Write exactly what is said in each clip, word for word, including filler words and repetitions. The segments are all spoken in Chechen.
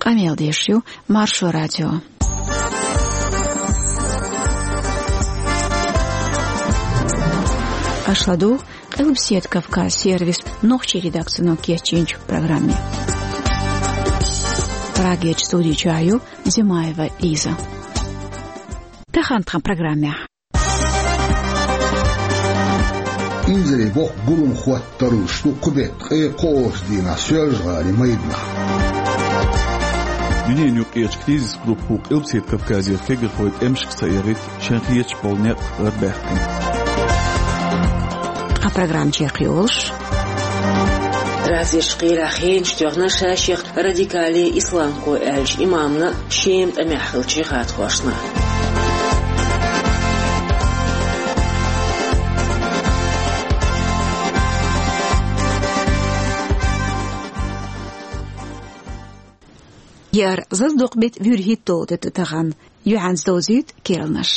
Къамел деш ю Маршо радио. Аша ладугӀу Къилбаседа Кавказ сервисан нохчийн редакцино кечйинчу программе. Прагерчу студи чохь ю Зимаева Лиза. Тахана тхан программехь. Инзаре боккха гулам хӀоттар луш ду кху беттан ткъе кхоалгӀачу дийнахь Соьлжа-ГӀалин майданахь. Дуьненан юккъерчу кризис группо Къилбаседа Кавказера кегийрхой тӀемашка схьаэгӀийта шайн хеташ болу некъ гӀарабаьккхина. Тхан программа чекхйолуш. Разерчу кхелехь хенаш тоьхна ша-шех радикале исламхой аьллачу имамна, Шема тӀамехь хиллачу жихӀадхошна. Яра зазадоккху беттан вуьрхӀитталгӀа де ду тахана. Юьхьанца довзуьйту керланаш.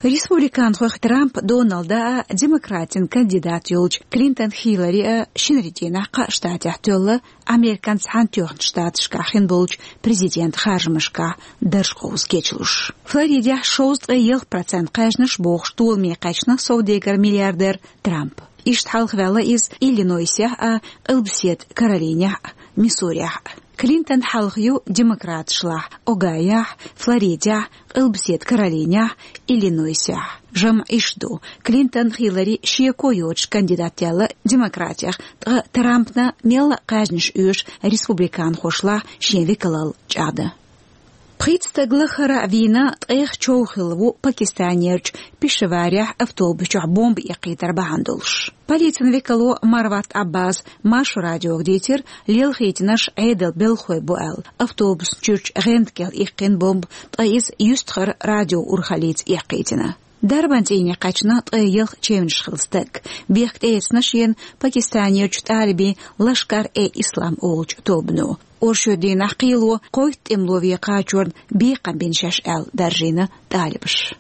Республиканхойх Трамп Доналда а, демократийн кандидат йолчу Клинтон Хиллари а шинарин дийнахь кхаа штатехь тоьлла Американ Цхьаьнатоьхначу Штаташкахь хин болчу президентан харжамашкахь дарж кховза кечлуш. Флоридехь шовзткъе ялх процент кхаьжнаш бохуш толаме кхаьчна совдегар-миллиардер Трамп. Иштта хьалхаваьлла иза Иллинойсехь а, Къилбаседа Каролинехь а, Миссурехь а. Клинтон хьалха ю демократашлахь Огайохь, Флоридехь, Къилбаседа Каролинехь, Иллинойсехь. ЖамӀ иштта ду: Клинтон Хиллари шеко йоцуш кандидат яьлла демократех, ткъа Трампна мелла а кхаьжнаш оьшу республиканхошлахь шен векалалла чӀагӀдан. Пхийтта стаг лаххара а вийна, ткъех чов хилла ву Пакистанерчу Пешаварехь автобус чохь бомба эккхийтар бахьана долуш. Полицин векало Марват Аббас Маршо радиога дийцира, лелхийтинарш Ӏедалан белхахой бу аьлла. Автобусна чуьрчу гӀенда кӀел иккхина бомба, ткъа иза юьстахара радиоурхаллица эккхийтина. Дарбан цӀийне кхаьчна ткъе ялх чевнаш хилла стаг. Бехк тӀеэцна шена Пакистанерчу талибийн Лашкар-э-Ислам олучу тобано. Оршот дийнахь кхело кхойтта тӀемало вен кхачорна бекхам бина шаьш аьлла даржийна талибаша.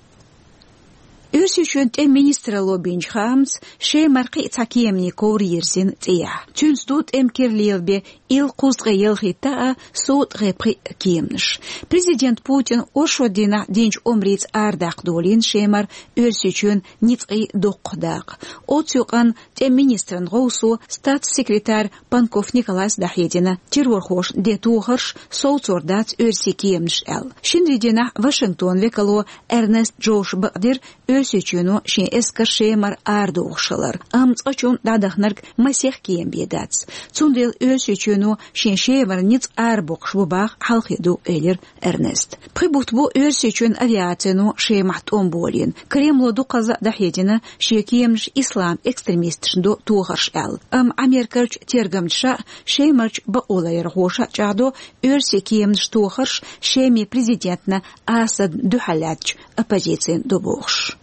Оьрсийчоьнан тӀеман министралло бинчу хаамца, Шемара кхин а цхьа кеманийн ковра йирзина цӀехьа. Цуьнца ду тӀеман кира лелабен ил кхузткъе ялхитта а, со ткъе пхиъ а кеманаш. Президент Путина оршот дийнахь динчу омрица арадаккха долийна Шемара Оьрсийчоьнан ницкъийн доккхах дакъа. Оцу юкъанна тӀеман министран гӀовсо статс-секретарь Панков Николас дӀахьедина террорхошна ден тохарш совцор дац оьрсийн кеманаш аьлла. Шинарин дийнахь Вашингтонан векало Эрнест Джоша бакъдира Оьрсийчоьно шен эскар Шемара арадохуш хилар, амма цкъачунна дӀадаханарг масех кема бен дац. Цундела Оьрсийчоьно шен Шемара ницкъ арабоккхуш бу баха хьалхе ду, элира Эрнеста. Пхи бутт бу Оьрсийчоьнан авиацино Шемахь тӀом болийна. Кремло дукхазза а дӀахьедина шен кеманаш ислам экстремисташна до тохарш аьлла. Амма Америкерчу тергамчаша а, Шемарчу бакъоларъярхоша а чӀагӀдо оьрсийн кеманаш тохарш Шеман президентна Асадна дуьхьал лаьттачу оппозицина до бохуш.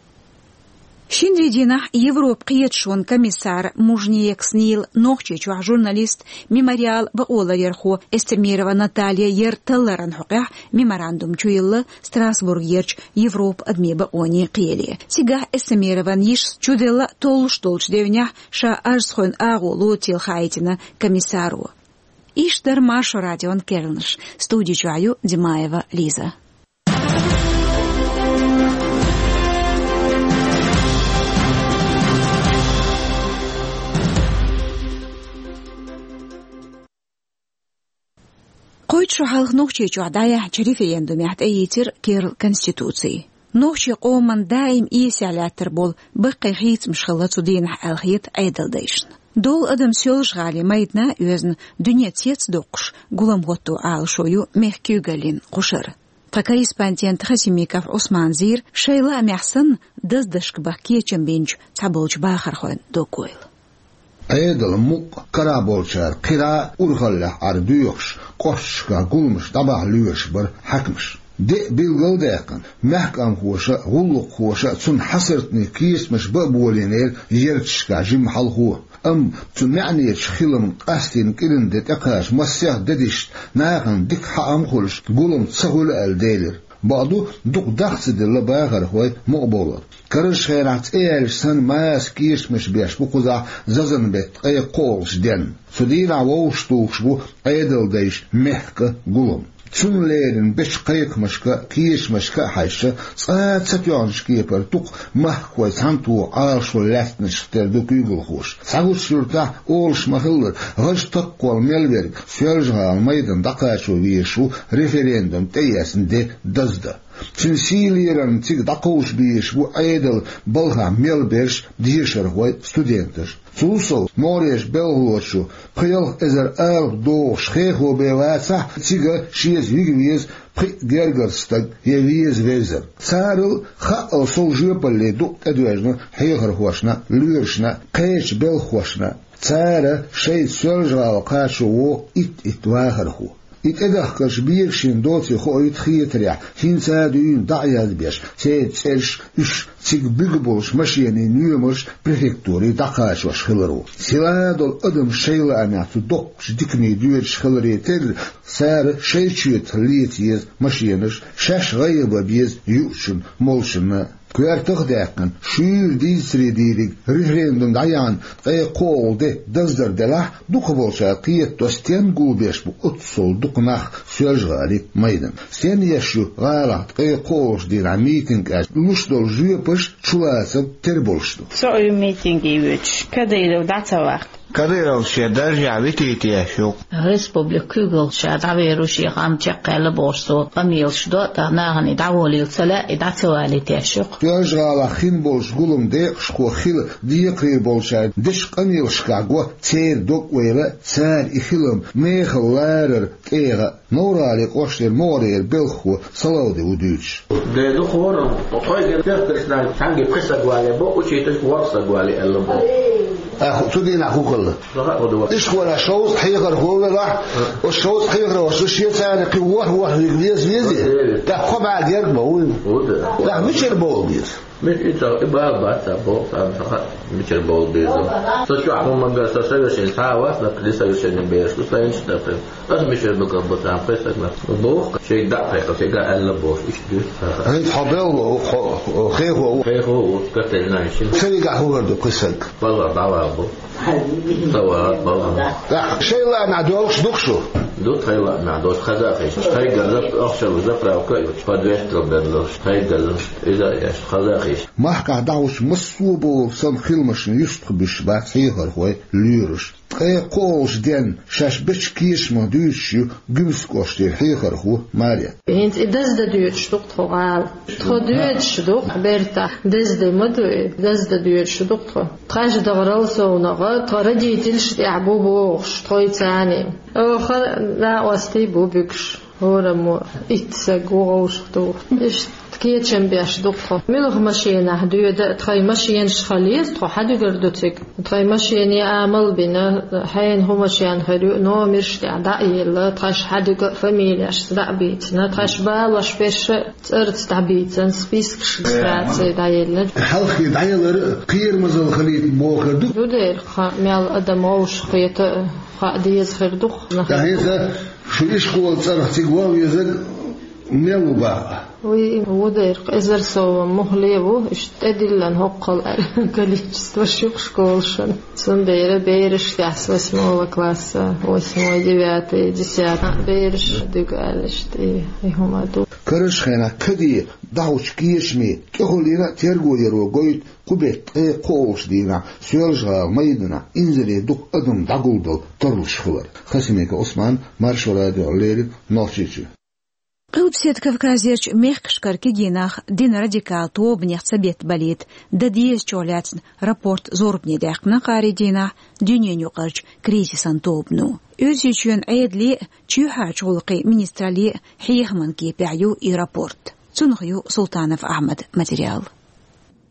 Шинарин дийнахь Европан кхеташонан комиссара Мужниекс Нила Нохчийчохь журналист, «Мемориалан» бакъоларъярхо Эстемирова Наталья яра талларан хьокъехь меморандум чуйилла Страсбургерчу Европан адамийн бакъонийн кхеле. Цигахь Эстемирован йишас чуделла толлуш долчу девнехь ша ажцхойн агӀо лоцийла хаийтина комиссаро. Иштта дара Маршо радион керланаш. Студи чохь ю Димаева Лиза. Кхойтта шо хьалха Нохчийчохь дӀаяьхьначу референдумехь тӀеийцира керла конституци. Нохчийн къоман даим эсехь лаьттар болу баккхий хийцамаш хилла цу дийнахь аьлла хета Ӏедалдайшна. Долу адам Соьлжа-ГӀалин майдана а оьзна, дуьне цец а доккхуш, гулам хӀотто Ӏалашо ю мехкан куьйгаллин кхушара. Тхан корреспондент Хасимиков Ӏусмана зийра шайн лаамехь санна даздашка баха кечам бинчу цхьаболчу бахархойн доккхойла. Ӏедалан мукъ карахь болчара кхира а урхаллехь Ӏар доьхуш, кӀошташкахь гуламаш дӀабахьа лоьруш бара хьаькамаш. Де а билгалдаьккхина, мехкамхоша а, гӀуллакххоша а цунна хьасартний кечамаш бан а болийнера ярташкахь жимма хьалхо. Амма цу маьӀнечу хиламна къастийна кӀиран де тӀекхача массех дедишна нахана дика хьаам хуьлуш гулам ца хуьлу аьлла делира. Бакъду, дукха дах ца делла бахархой мукъабовлар. Карарчу хенахь цӀе яьлча санна маса кечамаш беш бу кхузахь зазанан беттан ткъе кхоалгӀачу денна. Цу дийнахь вовшахтухуш бу Ӏедалдайша мехкан гулам. Цунна леррина бечу кхайкхамашка а, кечамашка а хьаьжча, цкъа а ца тоьхначу кепара дукха махкахой цхьаьнатоха Ӏалашо лаьцначух тера ду куьйгалхоша. Цхьа гучу юьртахь, олуш ма-хиллара, гӀаж таккхол мел верг Соьлжа-ГӀалин майдан дӀакхачо везаш ву референдум тӀеэцна де даздан. Цуьнан сий лерарна цига дӀакховша безаш бу Ӏедалан балхахь мел берш, дешархой, студенташ. Цул сов, могӀарерчу белхалочо пхи-ялх эзар алапа дохуш хехо бен вацахь, цига шеца вига веза пхи гергара стаг я веза вевзар. Царал хаъал сов жоьпалле дукъ тӀедоьжна хьехархошна, лоьрашна, кхечу белхахошна. Цара шайца Соьлжа-ГӀала кхачо вогӀу итт-итт вахархо. И тӀедахкарш бегашина доций хоуьйту хетарехь, хӀинца а дуьйна дӀа а язбеш, церан цӀераш, уьш цига буьгуш болчу машенийн номерш префектуре дӀакхачош хиларо. Силадолу адам шайн лаамехь цу доккхачу дикане доьдуш хиларе терра, цара шайн чоьтах леца еза машенаш, шаьш гӀайгӀа бан беза юучунна, молчунна. Коьртах а даьккхина, шуьйра дийцаре дийриг референдум дӀаяхьна ткъе кхоалгӀа де даздар делахь, дукхахболчара кхетадо, стенна гулбеш бу оццул дукха нах Соьлжа-ГӀалин майданна. Стенна еш ю гӀалахь ткъе кхоалгӀачу дийнахь митинг аьлча луш долу жоьпаш чулацам тера болуш ду. Со и митинге воьдуш, Кадыров дӀа ца ваккха. Кадыров шен даржехь витийта еш ю-кх. Республика куьйгалхочуьнга дӀавер ву, шен хам чекхъяьлла бохуш, цо къамелаш до, тӀаккха нахана и дӀаволийла ца лаьа, и дӀа ца валийта еш ю-кх. Соьлжа-ГӀалахь хин болчу гулам декъашхо хила декхарийлахь болчара дечу къамелашкахь го церан дог-ойла, цара и хилам мехала ларар тӀегӀа. Новр-ГӀалин кӀоштара могӀарера белхахо Салавди ву дуьйцуш. Де ду хӀоранна, тхойгара дехкаршна цхьаьнгге пхи саг вале бо, учительш ворхӀ саг вале аьлла бо. Ахь цу дийнахь хӀун хилла? Иштта хӀора шовзткъа хьехархо велахь, оцу шовзткъа хьехархошна шен царна кхин ворхӀ-ворхӀ вига веза везий? ТӀаккха кхо бӀе герга ма вуй. ТӀаккха мичара бовла беза? Мис и ца, и бала бац ца боху, царна ца хаьа, мичара бовла беза. Со чохь хӀума гар, со совершенно схьа а вац, нах, несовершенный бераш ду, сайн иштта дац. Аса мичара ду, как будто, ам кхайсаг нах. Боху, шайга дӀа а кхайкхина, шайга аьлла бохуш, иштта дуьйцу ца хаьа. ХӀинца хьо белла ву, хьо, хьо, хехо ву. Хехо ву, Катерина, шин. Ца вигахь хӀун хир ду кхин саг? Балла дӀавала бу. Ца вала, балла. ТӀаккха шайн лаамехь доьлхуш ду-кх шу? Ду тхайн лаамехь доьлхуш, хаза а хезаш. Тхайгара зап-, ахчалла заправка а йолуш, подвес тӀера берларш, тхайгара иза а еш, хаза а хезаш. Махкахь дӀахьуш массо а бовла санна хиламашна юьстахбуьсуш бац хьехархой, лоьраш. Ткъе кхоалгӀачу денна шаьш бечу кечамах дуьйцуш ю Гуьмсан кӀоштара хьехархо Марет. ХӀинца и даздан доьдуш ду-кх тхо гӀала. Тхо доьдуш ду-кх бертахь, деза де ма ду и, даздан доьдуш ду-кх тхо. Тхаьш дахарал совнагӀа, тхан родительш тӀехь бу бохуш, тхойца а. Оха накъостий бу буьгуш. ХӀораммо итт саг ву гӀовшах туху. Иштта кечам беш ду-кх тхо. Муьлха машенахь доьду а, тхайн машенаш хила еза, тхо хьан дуьгур ду цига? Тхайн машене амал а бина, хьенан хӀун машен хир ю, номерш тӀехь дӀа а елла, тхаьш хьан дуьгу а, фамилешца дӀа а бийцина, тхаьш балош берш а цӀарца дӀабийцина, спискаш регистрации дӀаеллина. Хьалххе дӀаялар а кхерамазалла хилийта бохур ду. Ду дера, кхин мел адам гӀовшах кхета а хаа деза хир ду-кх. ТӀаккха хӀинца шу ишколан цӀарах цига ван везарг мел ву бакъ? Вуй, ву дера, эзар сов муххале ву, иштта тӀедиллина хӀоккхул аьлла количество шу-кх школашна. Цундела бераш тӀехь с восьмого класса, восьмой, девятый, десятый бераш дуьгу аьлла иштта и, и хӀума ду. Карарчу хенахь каде дӀахьучу кечаме тӀехулийна а терго яро гойту кху беттан ткъе кхоалгӀачу дийнахь Соьлжа-ГӀалин майданахь инзаре дукха адам дӀагулдала тарлуш хилар. Хасимиков Ӏусман, Маршо радиона леррина, Нохчийчоь. Къилбаседа Кавказерчу мехкашкара кегий нах динан радикал тобанех цабеттабалийта дан дезачух лаьцна рапорт зорбане даьккхина кхаарин дийнахь дуьненаюкъарчу кризисан тобано. Оьрсийчоьнан Ӏедалан а, чоьхьарчу гӀуллакхийн министраллин а хьехаман кепехь ю и рапорт. Цунах ю Султанов Ахьмадан материал.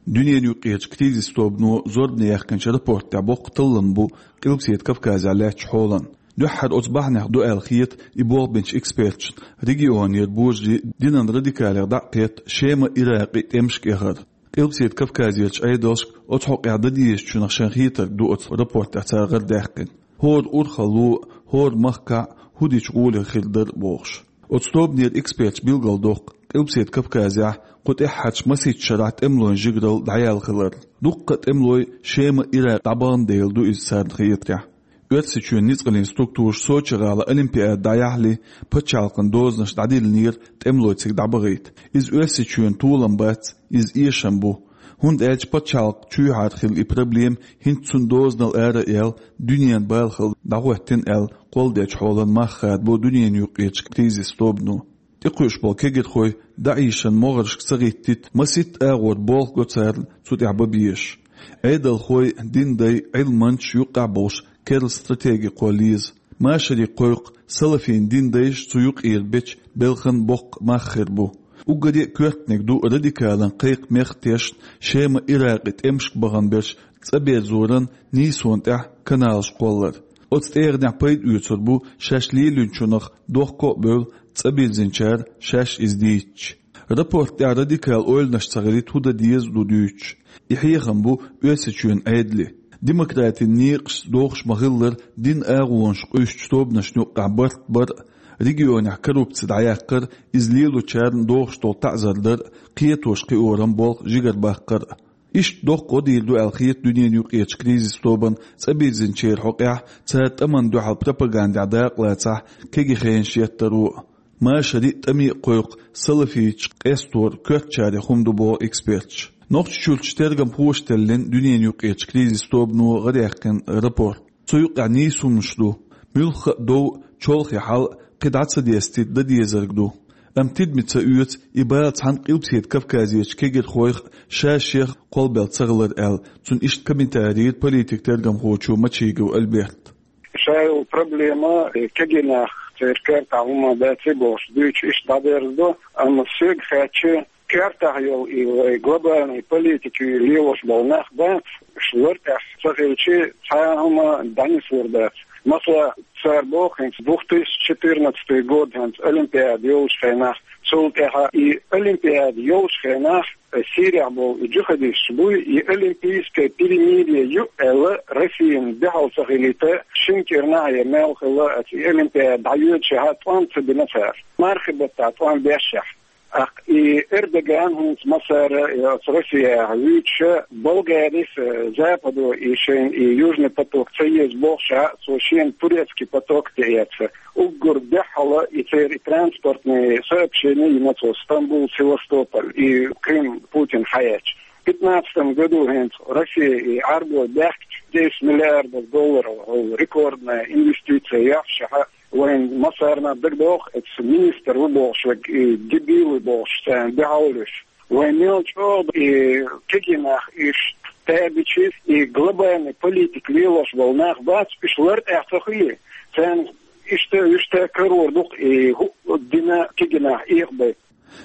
Дуьненаюкъарчу кризисан тобано зорбане яьккхинчу рапортехь боккха таллам бу Къилбаседа Кавказехь лаьттачу хьолан. Дуьххьара оцу бахьанех ду аьлла хета и болх бинчу эксперташна регионера божарий динан радикалех дӀа а кхетта, Шеман, Иракъан тӀемашка эхар. Къилбаседа Кавказерчу Ӏедалшка оцу хьокъехь дан дезачунах шайн хетарг ду оцу рапортехь цара гӀардаьккхина. ХӀора урхалло а, хӀора махкахь а хӀу дича гӀоле хир дара бохуш. Оцу тобанера эксперташа билгалдоккху, Къилбаседа Кавказехь кху тӀаьххьарчу масийтта шарахь тӀемалойн жигаралла дӀаяьлла хилар. Дуккха а тӀемалой Шема, Иракъ дӀабахана дела ду иза царна хетарехь. Оьрсийчоьнан ницкъаллин структураш Сочи-гӀала Олимпиада дӀаяхьале, пачхьалкхан дозанаш дӀадиллинера тӀемалой цига дӀабахийта. Иза Оьрсийчоьнан толам бац, иза эшам бу. ХӀунда аьлча пачхьалкхан чоьхьара хилла и проблема хӀинца цунна дозанал ара а яьлла, дуьненан бала хилла дӀахӀоттийна аьлла, кхолладелчу хьолан мах хадабо дуьненан юккъерчу кризисан тобано. ТӀекхуьуш болу кегирхой даӀишан могӀаршка ца гӀиттийта, масийтта агӀор болх го царна цу тӀехь бан безаш. Ӏедалхой, динан дай, Ӏилманчаш юккъехь болуш керла стратеги кхолла еза. Машари кхойкху, салафийн динан дайша цу юккъера бечу белхан боккха мах хир бу. Уггаре а коьртаниг ду радикалан кхайкхамех а тешна, Шема, Иракъе тӀемашка бахана берш цӀа берзоран нийсонан тӀехь каналаш кхоллар. Оцу тӀегӀанехь пайда оьцур бу шаьш лелийначунах дохко а бевлла, цӀа бирзинчара шаьш иза дийцича. Рапорт тӀехь радикал ойланаш ца хилийта хӀун дан деза ду дуьйцуш. И хьехам бу Оьрсийчоьнан Ӏедале. Демократин некъашца догӀуш ма-хиллара, динан агӀонаш къуьйсучу тобанашна юккъехь барт бар а, регионехь коррупци дӀаяккхар а, иза лелочарна догӀуш долу таӀзар дар а, кхетош-кхиоран болх жигара баккхар а. Иштта доккха гӀо дийр ду аьлла хета дуьненан юккъерчу кризисан тобанна цӀа бирзинчеран хьокъехь, цара тӀамна дуьхьал пропагандехь дакъалацахь, кегий хенаш еттаро а. Машари а, тӀаме а кхойкху салафиташ къестор коьртачарех хӀума ду боху эксперташа. Нохчийчуьрчу тергамхоша теллина дуьненан юккъерчу кризисан тобано гӀараяккхина рапорт. Цу юккъехь нийса хӀуманаш ду. Муьлхха а дов, чолхе хьал а кхин дӀа ца дестийта дан дезарг ду. Амма тидаме ца оьцу и бала цхьана Къилбаседа Кавказерчу кегирхойх а, ша-шех а кхолбелла ца хилар аьлла, цунна иштта комментари йира политик-тергамхочо Мачигов Альберта. Ша йолу проблема, э, кегий нах, церан коьртахь хӀума бац бохуш дуьйцуш иштта дӀадерзадо, амма соьга хаьттича, коьртахь йолу и вай глобальный политика лелош болу нах бац, уьш лар тӀехь ца хилча, цхьа а хӀума дӀанислур дац. Масала, цара боху хӀинца две тысячи четырнадцатый год хӀинца Олимпиада йолчу хенахь, цул тӀаьхьа и Олимпиада йолчу хенахь, э, Сирехь болу и джихадисташ буй, и олимпийское перемирие ю аьлла, Россияна дуьхьал ца хилийта, шина кӀирнахь я мел хилла, аса и Олимпиада дӀайоьдучехь тӀом ца бина цара. Мархи баттахь тӀом бешшехь. ТӀаккха и Эрдоган хӀинца массара, э, оцу Россияхь вуьйцуша, Болгарис, э, Западо и шайна и Южный поток ца еза бохуша, цо шена турецкий поток тӀеэцна. Уггар дуьххьала и церан и транспортный сообщение йина цо Стамбул, Севастополь, и Крым Путин хьаэцча. Пятнадцатом году хӀинца Россия и Ӏаьрбой баьхкича десять миллиардов долларов, хӀу рекордная инвестиция яхьашехьа, вайн массарна дагадогӀу, эцу министр ву бохуш верг, и дебил ву бохуш, царна дуьхьал луьйш. Вайн мел чӀогӀа и кегий нах иштта табичи, и глобальный политика лелош болу нах бац, уьш лар тӀехь ца хуьлий? Царна иштта, иштта карор ду-кх и хӀуъа дина кегий нах Ӏехабайта.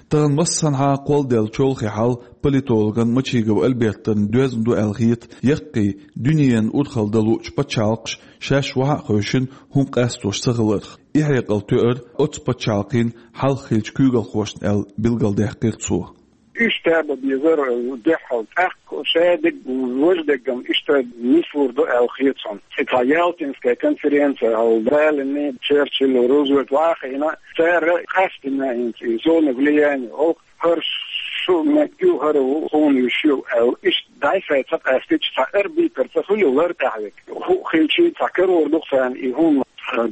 Тахана массанхьа кхолладелла чолхе хьал политологан Мачигов Альбертан доьзна ду аьлла хета, яккхий, дуьненан урхалла дан луучу пачхьалкхаш шаьш вахьа а хевшина хӀума къастош ца хиларх. И хьекъал тоьар оцу пачхьалкхийн хьалха хиллачу куьйгалхошна аьлла билгалдаьккхира цо. Уьш таба безар дуьххьал, тӀаккха ша дерг, важа дерг-м иштта нислур ду аьлла хета суна. И цхьа Ялтинская конференция хьал Сталин, Черчилль, Рузвельт вахийна, цара къастийна хӀинца и зона влияния, хӀокху хӀара шу меттиг ю, хӀара ву хӀуна вуьш ю аьлла, иштта дӀай-схьай ца къастича, цхьа арбитр ца хуьлу лар тӀехь верг. ХӀуъа хилчий, цхьа карор ду-кх царна и хӀума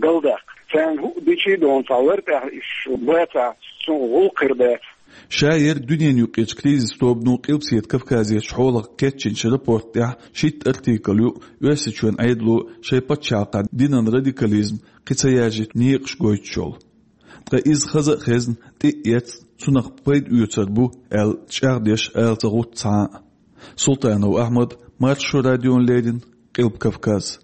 галдаккха. Царна хӀуъа дичий, дона цхьа лар тӀехь уьш бацахь, цунах гӀуллакх хир бац. Ша ерг дуьненан юккъерчу кризисан тобано Къилбаседа Кавказерчу хьолах кечйинчу рапорт тӀехь шийтта артикл ю, Оьрсийчоьнан Ӏедало шайн пачхьалкхехь динан радикализм кхин ца яржийта некъаш гойтуш йолу. Ткъа иза хаза а хезна, тӀе а эцна, цунах пайда оьцур бу аьлла, чӀагӀдеш ала ца гӀутту цхьа а. Султанов Ахьмад, Маршо радиона леррина, Къилба Кавказ.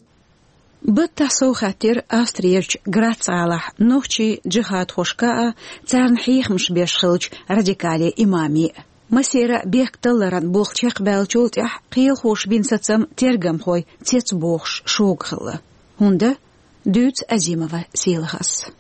Баттахь сов хаттира Австриерчу Грац-гӀалахь нохчийн джихадхошка а, царна хьехамаш беш хиллачу радикалийн имаме а. Масера бехк талларан болх чекхбаьллачул тӀаьхьа кхелахоша бина сацам тергамхой цецбохуш шога хилла. ХӀунда? Дуьйцу Азимова Селахас.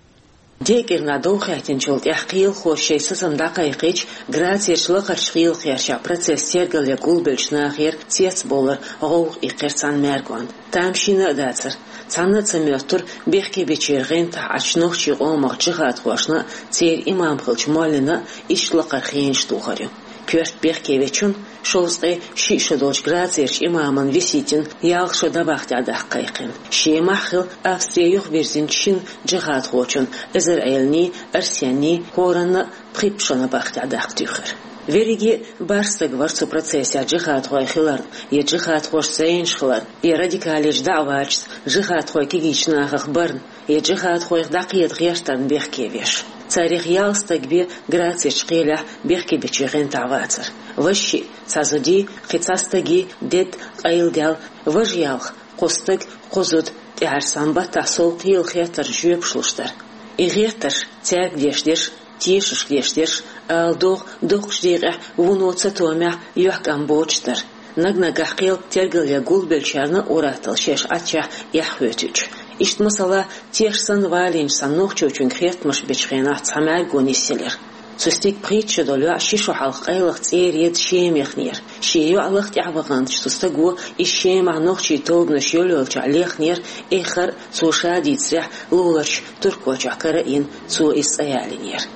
ДегӀ кӀирнахь дов хаьттинчул тӀаьхьа кхелахоша шоай сацам дӀакхайкхийча, Грацерчу лакхарчу кхелахерчахь процесс тергалъян гулбеллачу нахера цецбовлар гӀовгӀа иккхира цхьана маьргонна. Тамашийна а дацара. Цхьанна а ца моьттура бехкебечеран гӀентахь Ӏачу нохчийн къомах джихадхошна а, церан имам хиллачу моллина а иштта лакхара хенаш тухар ю. Коьрта бехке вечунна, шовзткъе шиъ шо долчу Грацерчу имамна Виситина ялх шо дӀабахьа тӀехь даккха кхайкхина. Шемахь хилла Австри юхабирзинчу шина джихадхочунна, Эзар-Ӏелиний, Арсенний, хӀоранна а пхи-пхи шо набахьа тӀехь даккха туьйхира. Верриге а бархӀ стаг вара цу процессехь джихадхой хиларна, я джихадхошца зӀенаш хиларна, я радикалечу даӀваташца джихадхой кегийчу нахах барна, я джихадхойх дӀакхета гӀертарна бехке веш. Царех ялх стаг бен Грацерчу кхелехь бехкебечеран гӀентахь вацара. Важа шиъ, цхьа зудий, кхин цхьа стагий дедда къайладаьлла, важа ялх, кхо стаг, кхо зуда, тӀаьхьарчу цхьана баттахь сов кхелан хеттаршна жоьпаш луш дара. И гӀертарш цаьрга деш дерш, тешашка деш дерш, ала догӀу, доккхачу декъехь вуно цатоьхнехь юьхькӀам боцуш дара. Наг-наггахь кхел тергалъян гулбеллачарна а ур-атталла шаьш Ӏаччехь эхь хӀоьттича. Иштта, масала, теш санна валийначу цхьана нохчочуьнга хеттамаш бечу хенахь цхьа маьрго нисъелира. Цу стеган пхийтта шо долу йоӀ ши шо хьалха къайлаха цӀера едда Шема яхнера. Шен йоӀ лаха тӀаьхьаваханчу цу стаго иза Шемахь нохчийн тобанаш йолайолчохь лехнера, эххар а, цо ша дийцарехь, луларчу Туркойчохь кара а йина, цо иза цӀа ялийнера.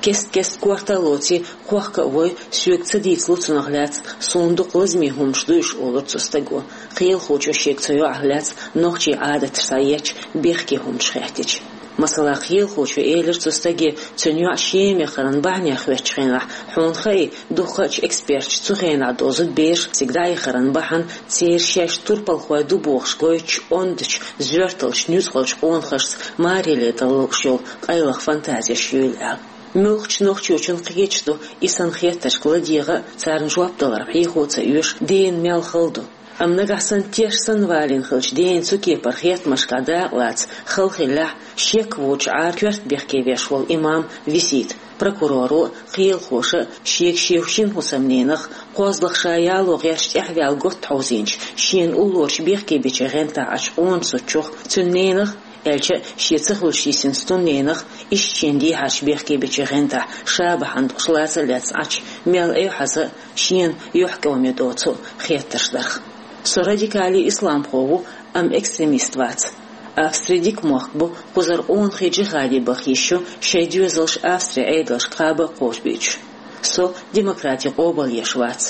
Кест-кеста корта а лоций, кхохка а вой, соьга ца дийцалу цунах лаьцна, суна дукха лазаме хӀуманаш дуьйш, олура цу стаго. Кхелахочо шега цу йоӀах лаьцна нохчийн Ӏадаташ схьаетташ бехке хӀуманаш хаьттича. Масала, кхелахочо элира цу стаге, цуьнан йоӀ Шема яхаран бахьанех хоьттучу хенахь, хьуна хаий, дукхачу эксперташа цу хенахь дозу бераш цига дӀаяхаран бахьана церан шаьш турпалхой ду бохуш гойтучу ондачу, зоьрталчу, нуьцкъалчу къонахашца мареле далла лууш йолу къайлаха фантазеш юйла аьлла. Муьлххачу нохчочунна кхеташ ду, и санна хеттаршка ладегӀа а, царна жоп даларх хьехо а ца оьшу, дена мел хала ду. Амма нагахь санна теш санна валийна хиллачу дена цу кепара хеттамашкахь дакъа лаца хала хиллехь, шек воцучу Ӏар коьрта бехке веш волу имам Висита прокуроро а, кхелахоша а шега шен шина хӀусамненах, кхозлагӀа ша яло гӀерташ тӀаьхьаваьлла готта хьовзийначу, шена уллорачу бехкебечеран гӀентахь Ӏачу къона зудчух, цуьнан ненах, аьлча а шен ца хуьлуш йисинчу цуьнан ненах, иштта шена дехьарчу бехкебечеран гӀентахь ша бахьана долуш лаца а лаьцна Ӏачу мел Ӏехьаза а, шена юьхькӀаме доцу а хеттарш дарх. Со радикале исламхо ву, амма экстремист вац. Австри дика мохк бу, кхузара къонахий джихаде баха йиш ю, шайн доьзалш Австрин Ӏедалшка кхаба а кхочушбуьйтуш. Со демократи къобалъеш вац.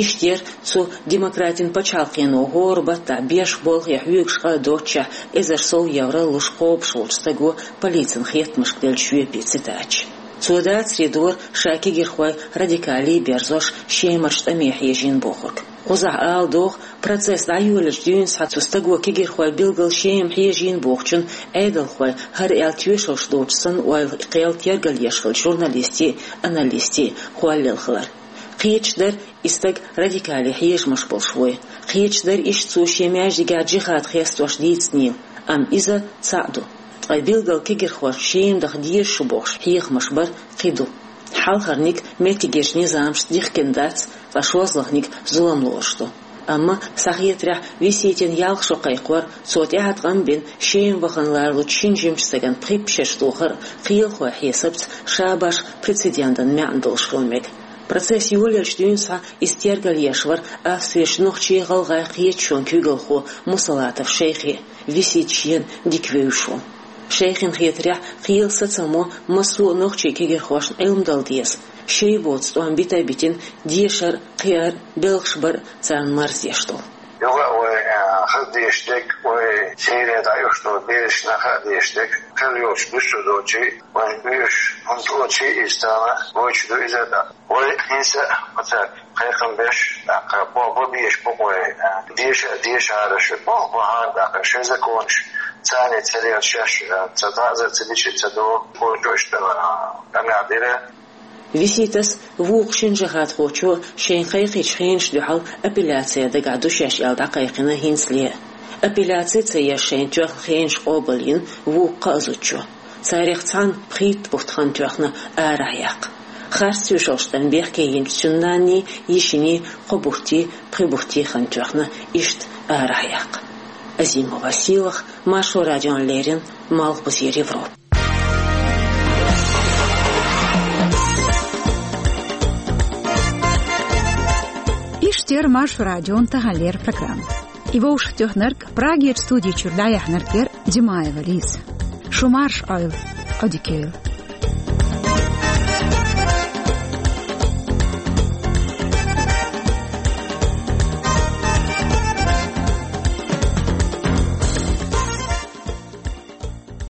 Иштта яра цу демократин пачхьалкхено хӀора баттахь беш болх я хьоьгуш къа а доццушехь, эзар сов евро луш кхобуш волчу стаго полицин хеттамашка деллачу жоьпийн цитаташ. Цо дацаре дора ша кегирхой радикале берзош, Шемарчу тӀаме хьежийна бохург. Кхузахь ала догӀу, процесс дӀайолалучу дуьйнашкахь цу стаго кегирхой билггал Шема хьежийна бохучун Ӏедалхой, хӀара аьлла тоьшаллаш доцуш санна, ойла кхел тергалъеш хиллачу журналистийн а, аналистийн а холлаелла хилар. Кхеташ дара, и стаг радикале хьежамаш болуш вуй. Кхеташ дара, иштта цо шен маьждигехь джихад хестош дийцинийла, амма иза цхьаъ ду. Ткъа билггал кегирхошна Шема даха дезаш ду бохуш хьехамаш бар кхин ду. Хьалхарниг меттигерчу низамашца дихкина дац, ткъа шозлагӀниг зулам лоруш ду. Амма, сан хетарехь, Виситина ялх шо кхайкхор, цо тӀаьхьа ткъам бина Шема вахана лоруш волчу шина жимачу стагана пхи-пхи шераш тохар а кхелахойн хьесапца ша башха прецедентан маьӀна долуш хила мега. Процесс йолаеллачу дуьйнашкахь иза тергалъеш вара Австрерчу нохчийн, гӀалгӀайн кхеташонан куьйгалхо Мусалатов Шайхи, Висита шена дика вевзаш волу. Шайхина хетарехь, кхелан сацамо массо а нохчийн кегирхошна Ӏилма дала деза, шайн боцу тӀом бита а битина, дешар а, кхиар а, белхаш бар а царна марздеш долу. Юха а вай, а, хаза деш дерг, вай Сирия дӀа уьш долу бераш наха а деш дерг, хила йолчу дуьсур долчий, вайн оьшуш хӀума тӀе а чий иза тахана, гойтуш ду иза а тӀаккха. Вай хӀинца а оцаьрга кхайкхам беш, тӀаккха бо-, бо-, беш бу-кх вай, а, деша а дешараш, бо-, бахьана тӀаккха шайн законаш, царна ца лела шаьш, а, ца дӀа а, ца дича а ца догӀу, гойтуш а, а, къамел дира. Виситас, вукху шина джихадхочо шайна кхайкхинчу хенашна дуьхьал апелляци дагахь ду шаьш аьлла дӀакхайкхина хӀинцале а. Апелляци ца еш шайна тоьхна хенаш къобалйина вукху кхаа зудчо. Царех цхьанна пхийтта бутт хан тоьхна арахь яккха. Харц тоьшаллаш тӀера бехке йинчу цуьнан нанний, йишиний кхо бутт, пхи бутт хан тоьхна иштта арахь яккха. Азимова Сийлаха, Маршо радиона леррина, Малхбузера Европа. Иштта яр Маршо радион таханлера программа. И вовшахтоьхнарг, Прагера студи чуьра дӀаяьхьнарг яр Димаева Лиза. Шу марша Ӏойла, Ӏодика йойла.